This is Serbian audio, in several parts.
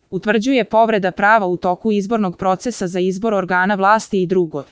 utvrđuje povreda prava u toku izbornog procesa za izbor organa vlasti i drugo.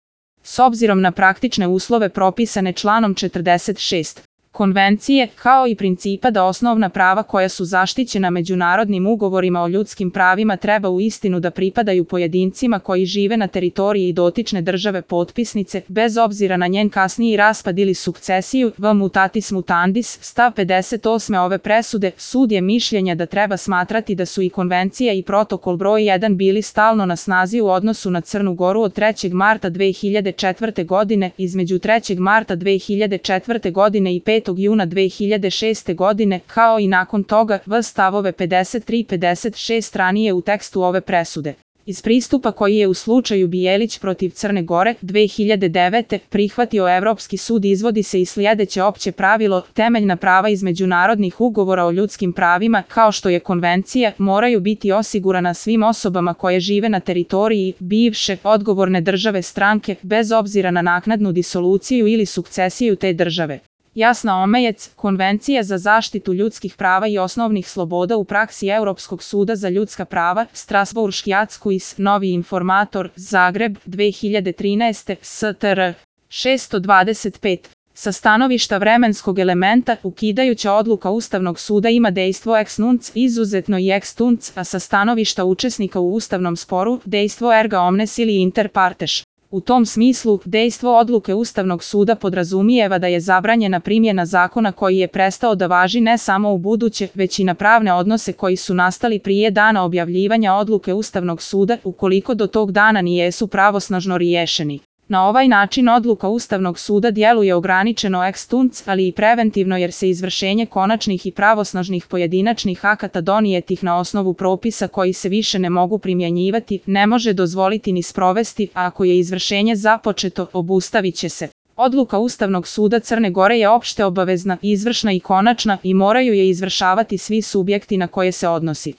S obzirom na praktične uslove propisane članom 46. Konvencije, kao i principa da osnovna prava koja su zaštićena međunarodnim ugovorima o ljudskim pravima treba uistinu da pripadaju pojedincima koji žive na teritoriji dotične države potpisnice, bez obzira na njen kasniji raspad ili sukcesiju, v mutatis mutandis, stav 58. ove presude, sud je mišljenja da treba smatrati da su i konvencija i protokol broj 1 bili stalno na snazi u odnosu na Crnu Goru od 3. marta 2004. godine, između 3. marta 2004. godine i 5. juna 2006. godine, kao i nakon toga, v stavove 53 i 56 ranije u tekstu ove presude. Iz pristupa koji je u slučaju Bijelić protiv Crne Gore 2009. prihvatio Evropski sud izvodi se i sljedeće opće pravilo: temeljna prava iz međunarodnih ugovora o ljudskim pravima, kao što je konvencija, moraju biti osigurana svim osobama koje žive na teritoriji bivše odgovorne države stranke, bez obzira na naknadnu disoluciju ili sukcesiju te države. Jasna Omejec, Konvencija za zaštitu ljudskih prava i osnovnih sloboda u praksi Europskog suda za ljudska prava, Strasbourški Acquis, Novi informator, Zagreb, 2013. STR. 625. Sa stanovišta vremenskog elementa, ukidajuća odluka Ustavnog suda ima dejstvo ex nunc, izuzetno i ex tunc, a sa stanovišta učesnika u ustavnom sporu, dejstvo erga omnes ili inter partes. U tom smislu, dejstvo odluke Ustavnog suda podrazumijeva da je zabranjena primjena zakona koji je prestao da važi ne samo u buduće, već i na pravne odnose koji su nastali prije dana objavljivanja odluke Ustavnog suda, ukoliko do tog dana nijesu pravosnažno riješeni. Na ovaj način odluka Ustavnog suda djeluje ograničeno ex tunc, ali i preventivno jer se izvršenje konačnih i pravosnažnih pojedinačnih akata donijetih na osnovu propisa koji se više ne mogu primjenjivati, ne može dozvoliti ni sprovesti, a ako je izvršenje započeto, obustavit će se. Odluka Ustavnog suda Crne Gore je opšte obavezna, izvršna i konačna i moraju je izvršavati svi subjekti na koje se odnosi.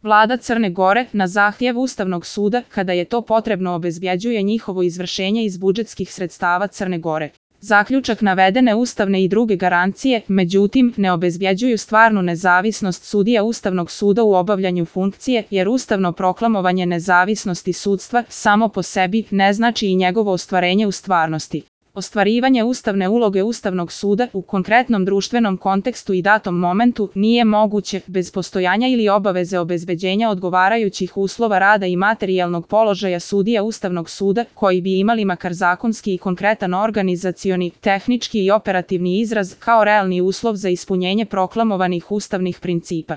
Vlada Crne Gore, na zahtjev Ustavnog suda, kada je to potrebno, obezbjeđuje njihovo izvršenje iz budžetskih sredstava Crne Gore. Zaključak navedene ustavne i druge garancije, međutim, ne obezbjeđuju stvarnu nezavisnost sudija Ustavnog suda u obavljanju funkcije, jer ustavno proklamovanje nezavisnosti sudstva samo po sebi ne znači i njegovo ostvarenje u stvarnosti. Ostvarivanje ustavne uloge Ustavnog suda u konkretnom društvenom kontekstu i datom momentu nije moguće bez postojanja ili obaveze obezbeđenja odgovarajućih uslova rada i materijalnog položaja sudija Ustavnog suda, koji bi imali makar zakonski i konkretan organizacioni, tehnički i operativni izraz kao realni uslov za ispunjenje proklamovanih ustavnih principa.